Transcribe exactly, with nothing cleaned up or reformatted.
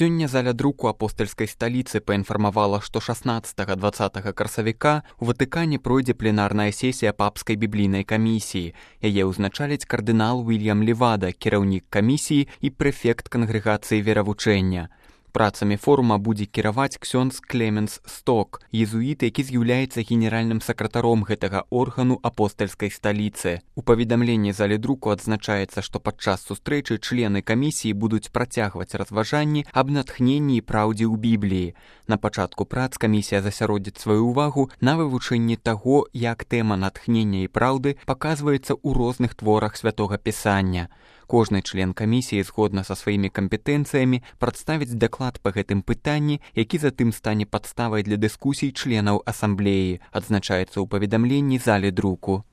Сёння заля друку апостальскай сталіцы паінфармавала, што шаснаццатага-дваццатага красавіка у Ватыкане пройдзе пленарная сесія папскай біблійнай камісіі. Яе ўзначаліць кардынал Уільям Левада, кіраўнік камісіі і прэфект кангрэгацыі веравучэння. Працамі форума будзе кіраваць ксёндз Клеменс Сток, езуіт, які з'яўляецца генеральным сакратаром гэтага органу апостальскай сталіцы. У паведамленні залі друку адзначаецца, што падчас сустрэчы члены камісіі будуць працягваць разважанні аб натхненні і праўдзе ў Бібліі. На пачатку прац камісія засяродзіць сваю ўвагу на вывучэнні таго, як тэма натхнення і праўды паказваецца ў розных творах святога пісання. Кожны член камісіі згодна са сваімі кампетэнцыямі прадставіць даклад па гэтым пытанні, які затым стане падставай для дыскусій членаў асамблеі, адзначаецца ў паведамленні залі друку.